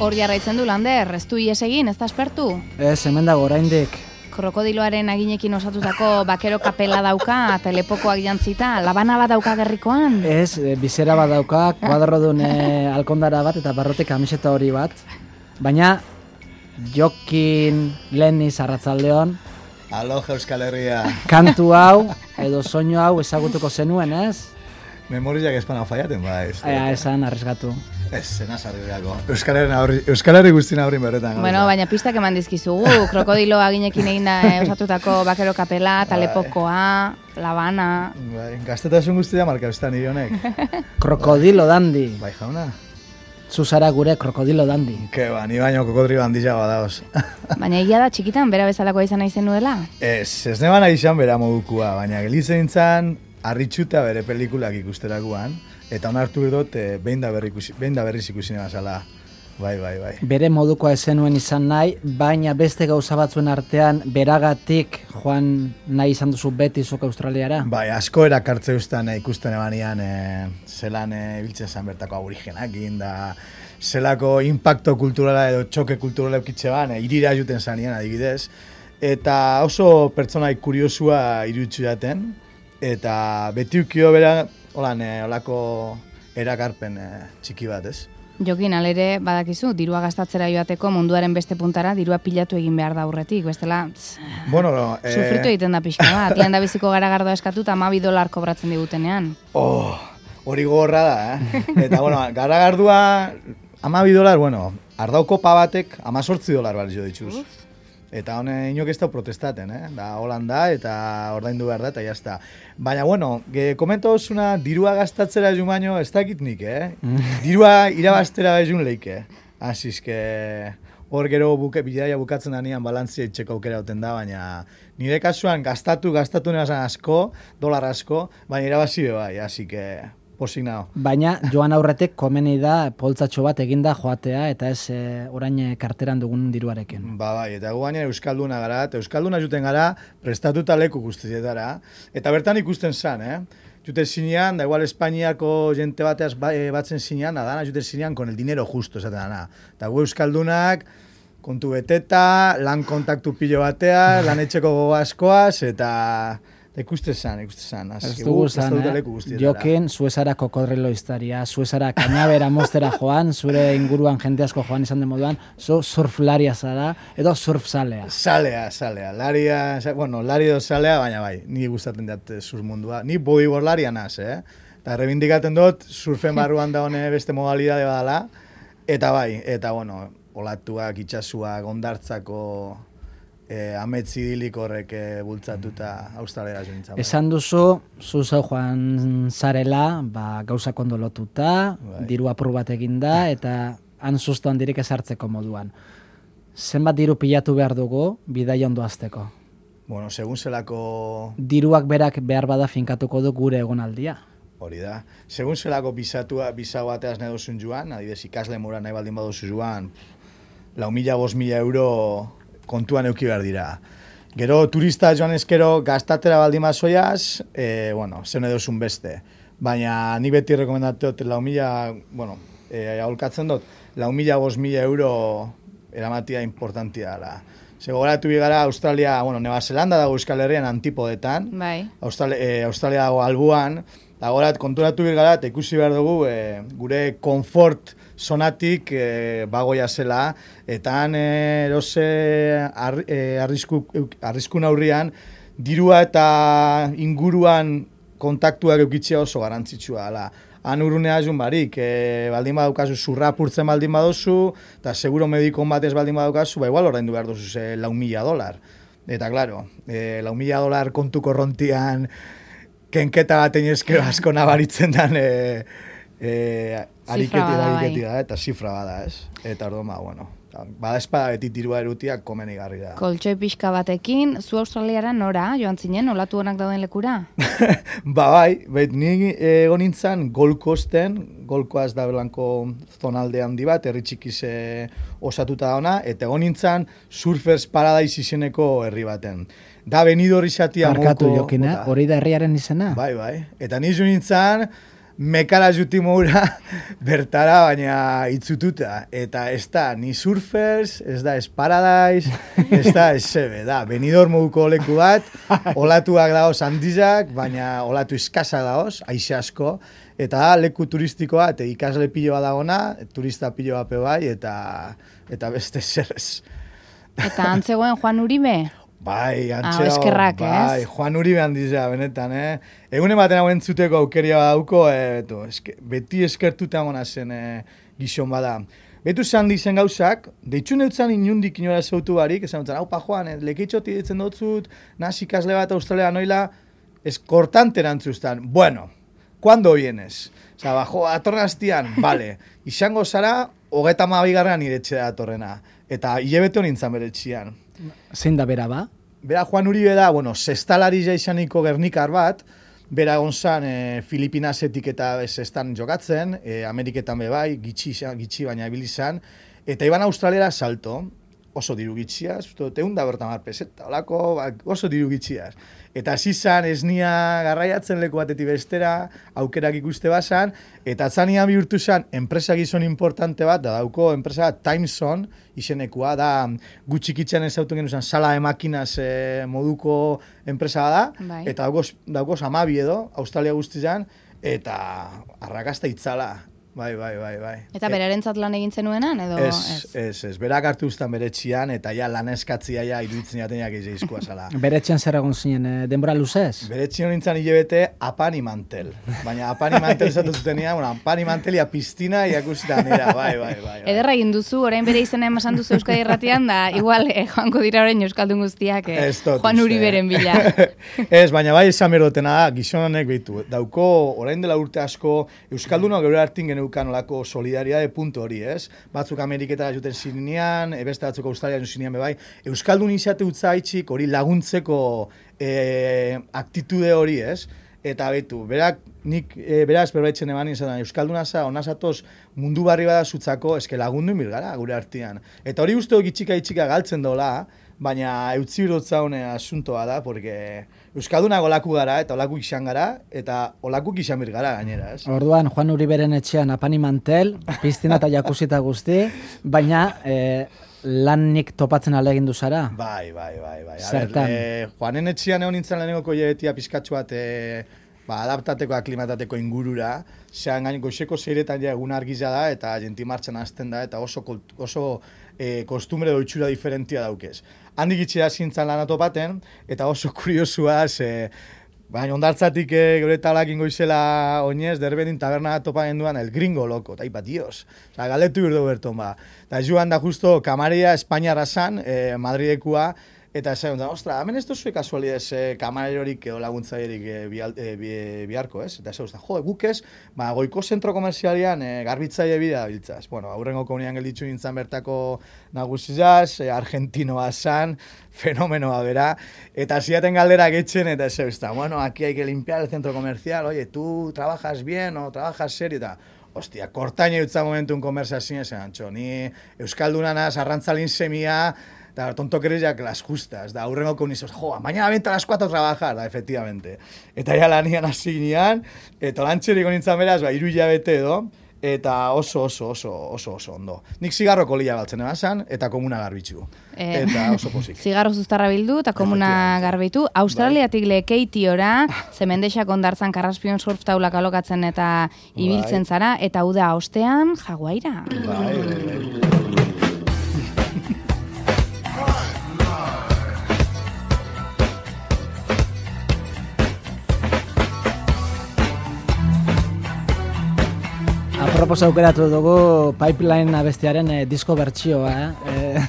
Hor jarraitzen du Lander, ez du ies egin, ez da aspertu? Ez, hemen dago oraindik. Krokodiloaren aginekin osatutako bakero kapela dauka, telepokoak jantzita, labana bat dauka gerrikoan? Ez, bizera bat dauka, kuadrodun alkondara bat eta barrotik kamiseta hori bat. Baina, Jokin Leniz arratsaldeon. Aloha Euskal Herria. Kantu hau, edo soinu hau ezagutuko zenuen, ez? Memoriak espana faiaten ba, ez. Esan, arriskatu. Ez, zenaz arrigako. Euskal Herri guztien aurrin berretan. Bueno, baina pistak eman dizkizugu. Krokodilo aginekin egin da osatutako bakero kapela, talepokoa, labana. Gaztetasun guztia marka eustan nire honek. Krokodilo dandi. Bai, jauna. Zuzara gure krokodilo dandi. Ke ba, ni baino kokodrio handila badaoz. Baina egia da txikitan, bera bezalakoa izan nahi zenuela? Ez neban izan bera modukua, baina gelitzen zan harritxuta bere pelikulak ikusterakoan, eta onartu dut behin da berriz ikusi zala. Bai. Bere modukoa ezenuen izan nahi, baina beste gauza batzuen artean beragatik joan nahi izan duzu beti zuk Australiara? Bai, asko erakartze ustan ikusten ebanean zelan biltzen zan bertako aborigenakin da zelako impacto kulturala edo txoke kulturala eukitze ban, irira juten zanean adibidez, eta oso pertsonaik kuriosua irutsu jaten, eta beti ukio bera olako erakarpen txiki bat, ez? Jokin, alere, badakizu, dirua gastatzera joateko munduaren beste puntara, dirua pilatu egin behar da aurretik, bestela, sufritu egiten da pixka bat, lehen da biziko garagardoa eskatu eta $12 kobratzen digutenean. Hori gogorra da, Eta, garagardua $12, ardauko batek $18 balio dituz. Eta hone inok ez da protestaten, da Holanda eta ordaindu behar da, eta jazta. Baina, komento osuna, dirua gastatzera egun baino, ez dakit nik, Dirua irabaztera egun leike. Azizke, hor gero bidaia bukatzen danean balantzia itxeko aukera duten da, baina nire kasuan gastatu nebazen asko, dolar asko, baina irabazi bai, azike... Posignao. Baina joan aurretik komeni da poltsatxo bat eginda joatea eta ez orain karteran dugun diruarekin. Bai, eta gu gainera euskalduna gara, eta euskalduna juten gara prestatuta leku guztietara, eta bertan ikusten zan, Juten zinean, da igual Espainiako jente bateaz batzen zinean, adana juten zinean con el dinero justo, esaten dana. Eta gu euskaldunak, kontu beteta, lan kontaktu pilo batea, lan etxeko gogo askoaz, eta... Ikuste zan. Ez dugu zan, Jokin, zuezara kokodrilo iztaria, zuezara kainabera mostera joan, zure inguruan jente asko joan izan den moduan, zu surflaria zara, edo surfzalea. Zalea. Lari edo zalea, baina bai, ni gustatzen dut surf mundua. Ni bodyboardlaria naz, Eta rebindikaten dut, surfen barruan da hone beste modalidade badala, eta bai, olatuak, itxasuak, ondartzako... ametzi idilik horrek bultzatuta Australiara joan. Esan duzu, zu zeu joan zarela, gauzak ondo lotuta, diru apur bat eginda, eta han susto handirik ezartzeko moduan. Zenbat diru pilatu behar dugu, bidai ondo azteko? Segun zelako... Diruak berak behar bada finkatuko du gure egonaldia. Hori da. Segun zelako bisa bateaz nahi duzun joan, adibidez ikasle mura nahi baldin baduzu joan, 4.000-5.000 euro... kontuan euki behar dira. Gero turista joan ezkero gastatera baldin bazoiaz, zen edozun beste. Baina ni beti rekomendatu dut 4.000, aholkatzen dut, 4.000-5.000 euro eramatia importantia dela. Gogoratu bigara Australia, Neva Zelanda dago Euskal Herrian antipodetan, Australia dago albuan, eta gorat konturatu bigara eta ikusi behar dugu gure konfort zonatik bagoia zela, eta han erose arriskun aurrian, dirua eta inguruan kontaktuak eukitzea oso garantzitsua dela. Han urrunea jun barik, baldin badaukazu zurra apurtzen baldin baduzu, eta seguro medikon batez baldin badaukazu, igual ordaindu behar duzu $4.000. Eta, klaro, $4.000 kontu korrontian, kenketa batein ezkero asko nabaritzen dan ariketi da, eta zifra bada, ez? Eta orduan, bada espada beti dirua erutiak komeni garri da. Koltxoi pixka batekin, zu Australiara nora, joan zinen, olatu honak dauden lekura? Bai, ni egon nintzen Gold Coasten, Gold Coast da belanko zonalde handi bat, herri txikiz osatuta da ona, eta egon nintzen Surfers Paradise izeneko herri baten. Da Benidorm izatia Markatu Jokina, hori da herriaren izena? Bai. Eta nizu nintzen mekara juti moura bertara, baina itzututa. Eta ez da, ni surfers, ez da, ez paradise, ez da, ez sebe, da, Benidorm moduko leku bat, olatuak daoz handizak, baina olatu iskazak daoz, aixe asko, eta leku turistikoa, eta ikasle piloa dagona, turista piloa bai, eta beste zerrez. Eta antzegoen Juan Uribe? Bai, antxera, eskerrak, bai, Juan Uribe handizea, benetan, Egunen baten hauen zuteko aukeria dauko, beti eskertuta amona zen gizon bada. Betu zan dizen gauzak, deitxun eutzen inundik inora zautu barik, esan dutzen, haupa Juan, lekeitxoti ditzen dutzut, nazi ikasle bat Australia noila, ez kortante erantzuztan. Bueno, ¿cuándo vienes? Osa, bajo, atorren hastian, vale, izango zara, 32 iretxe da atorrena, eta hilebete honintzan beretxian. Zein da bera ba? Bera Juan Uribe da, bueno, sestalari jaizaniko gernikar bat, bera gonzan Filipinasetik eta sestan jokatzen, Ameriketan bebai, gitxi baina ibilizan, eta iban Australiara salto, oso diru gitxiaz, teunda bertamar peseta, olako, oso diru gitxiaz. Eta zizan esnia garraiatzen leku batetik bestera, aukerak ikuste bazan, eta atzanian bihurtu zen enpresa gizon importante bat, da dauko enpresa Timeson izenekua, da gutxikitzen ez autun genuzan sala de makinas moduko enpresa da, bai. Eta daukoz 12 edo, Australia guztizan, eta arrakasta itzala. Bai. Eta berarentzat lan egin zenuenan, edo ez. Berak hartu uztan beretxian, eta ja lan eskatzia ja iruditzen jatenak izkoa zala. Beretxian zer egon zinen, denbora luzez? Beretxian nintzen hilebete apani mantel. Baina apani mantel zatu zutenia, apani mantelia piztina iakusita nera, bai. Ederra egin duzu, orain bere izena emasan duzu Euskadi Irratian, da igual joango dira orain Euskaldun guztiak Juan Uriberen bila. Ez, baina bai esan berdotena da, gizon honek behitu. Dauko, orain dela urte asko, Euskaldunok gero hartin geneukan olako solidariade puntu hori, ez? Batzuk Ameriketara juten zinean, beste batzuk Australian zinean bebai. Euskaldun izate utzaitxik hori laguntzeko aktitude hori, ez? Eta betu, beraz berbaitzen eman izan da, Euskalduna za, onazatoz mundu barri bada zutzako, eske lagundu inbil gara gure artean. Eta hori uste itxika galtzen dola, baina eutzi birotzaune asuntoa da, porque Euskalduna olaku gara, eta olaku izan gara, eta olaku izan bir gara gainera, ez? Orduan, Juan Uriberen etxean apani mantel, piztina eta jakusita guzti, baina lanik topatzen alegin duzara? Bai. Zertan? Juanen etxean egon nintzen lehenengoko hilebetia pizkatxu bat adaptateko, aklimatateko ingurura, zean gain goizeko zeiretan ja egun argiza da, eta jenti martxan hasten da, eta oso kostumbre doitxura diferentia daukez. Handik itxera zintzen lan atopaten, eta oso kuriosua, baina ondartzatik gure talak ingoizela oinez, derbedin taberna topa genduan el gringo loko, eta ipa, dios. Osa, galetu birdo berton ba. Eta joan da justo kamaria Espainiara zan, Madridekua, eta esan, ostra, hemen ez duzue kasualidez kamarerorik edo laguntzailerik biharko, ez? Eta esan, guk ez, goiko zentro komerzialian garbitzaile bidea biltzaz. Bueno, aurrengo komunian gelditzu nintzen bertako nagusizaz, argentinoa zan, fenomenoa bera, eta ziaten galdera getxen, eta esan, bueno, aquí hay que limpiar el centro comercial, oye, tú trabajas bien o trabajas serio, eta hostia, kortaina utza momentun konversazioen esan, ni Euskaldunanas, arrantzalin semia, eta tontokereziak las justas, da aurrengo komunizos, mañana vente a las 4 a trabajar, da, efectivamente. Eta ja lanian hasi ginean, eta lantxeriko nintzen beraz, 3 hilabete edo, eta oso ondo. Nik zigarro kolia baltzen ebazan, eta komuna garbitzu. Eta oso pozik. Zigarro zuztarra bildu, eta komuna garbitu. Australiatik lekeitiora, zemendexak ondartzan karraspion surf taulak alokatzen eta ibiltzen zara, eta uda ostean, Jaguaira. Bai. Apropos aukeratu dugu Pipeline abestiaren disko bertsioa,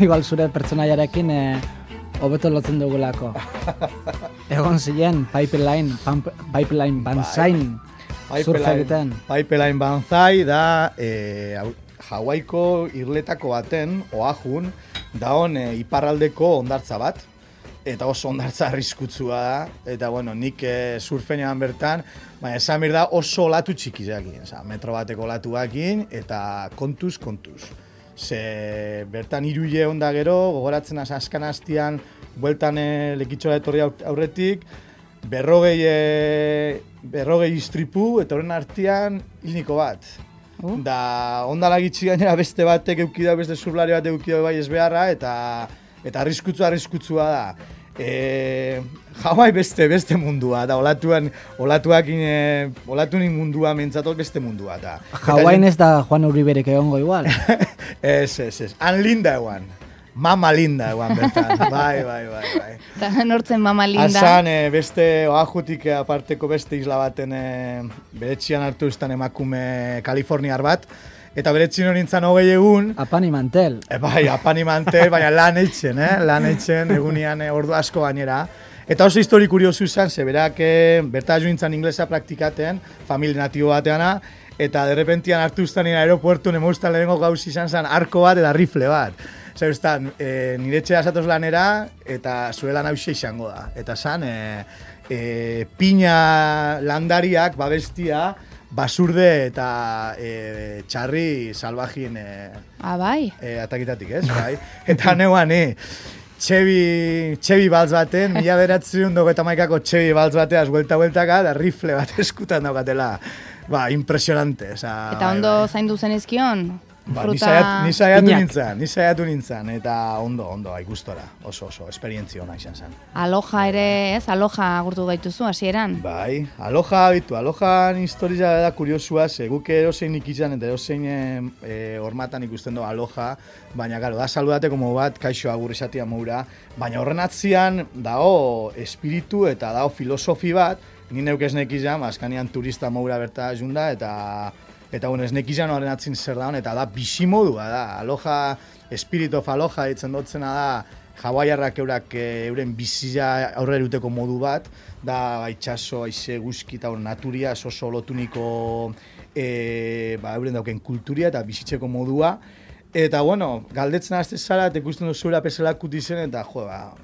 igual zure pertsonaiarekin hobeto lotzen dugulako. Egon ziren Pipeline Banzain surfa egiten. Pipeline Banzai da Hawaiko irletako baten, Oahun, daon iparraldeko ondartza bat. Eta oso ondartza arriskutsua da, eta bueno, nik surfenean bertan, baina esan da oso olatu txikizakin, metro bateko olatuakin, eta kontuz. Ze bertan 3 hile onda gero, gogoratzen azkan hastian, bueltan lekitxora etorri aurretik, berrogei istripu, eta horren artean hilniko bat. Da, ondala gitxi gainera beste batek eukidau, beste surflari batek eukidau bai ez beharra, eta arriskutsua da. Hawaii beste mundua, da, olatuakin mundua mentzatot beste mundua, da. Hawaii ez da Juan Uriberek egongo igual? Ez. Han linda eguan. Mama linda eguan bertan, bai. Eta nortzen Mama linda? Azan, beste oajutik aparteko beste isla baten beretxian hartu izan emakume Kaliforniar bat, eta beretxin hori nintzen 20 egun. Apani mantel. Bai, apani mantel, baina lan eitzen egunian ordu asko gainera. Eta oso histori kuriosu izan, ze berak berta jo nintzen inglesa praktikaten, familia natibo bateana, eta derrepentian hartu izan aeropuertun emaustan lehenengo gauz izan zen arko bat eta rifle bat. Zer ustan, nire etxea zatoz lanera, eta zure lan hausia izango da. Eta zan, pina landariak, babestia, basurde eta txarri salvajin bai? Atakitatik, ez? Bai. Eta neuan, Txebi baltz baten, 1991ko Txebi baltz bateaz buelta-bueltaka, da rifle bat eskutan daukatela. Ba, impresionante. Eta ondo zaindu zen izkion? Ba, ni saiatu nintzen, eta ondo, gustora, oso, esperientzia ona izan zen. Aloha ere, ez? Aloha agurtu gaituzu, hasieran? Bai, Alohan historia da kuriosua, ze guk erozein ikizan eta erozein hormatan ikusten du Aloha, baina, gero, da saludate como bat, kaixo agur esatia moura, baina horren atzian dago espiritu eta dago filosofi bat, ni neuk ez nekizan, azkanean turista moura berta junda, eta bueno, ez nekizan horren atzin zer daun, eta da bizimodua da. Aloha, Spirit of Aloha ditzen dotzena da, hawaiarrak euren bizia aurrera uteko modu bat, da itxaso, aize, guzki eta naturia, oso lotuniko euren dauken kulturia eta bizitzeko modua. Eta bueno, galdetzen azte zara, eta ikusten duzura peselakut izen, eta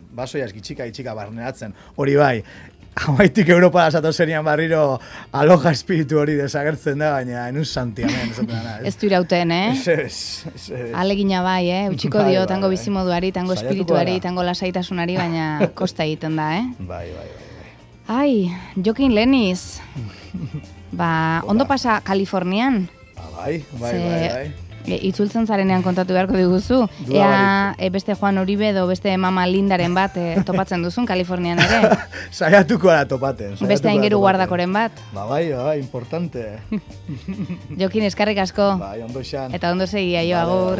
basoiaz gitxika barneratzen. Hori bai, Hawaiitik Europa asato zerian barriro Aloha espiritu hori desagertzen da, baina enuz santi, hemen, esaten dana. Ez du irauten, Ez. Alegina bai, Utsiko dio, tango bizimoduari, tango espirituari, tango lasaitasunari, baina kosta egiten da, Bai. Ai, Jokin Leniz. Ondo pasa Kalifornian? Bai. Itzultzen zarenean kontatu beharko diguzu. Ea beste Juan Uribe edo beste Mama Lindaren bat topatzen duzun Kalifornian ere. Saiatuko da topaten. Beste aingeru guardakoren bat. Bai, importante. Jokin, eskarrik asko. Bai, ondo izan. Eta ondo segia, agur.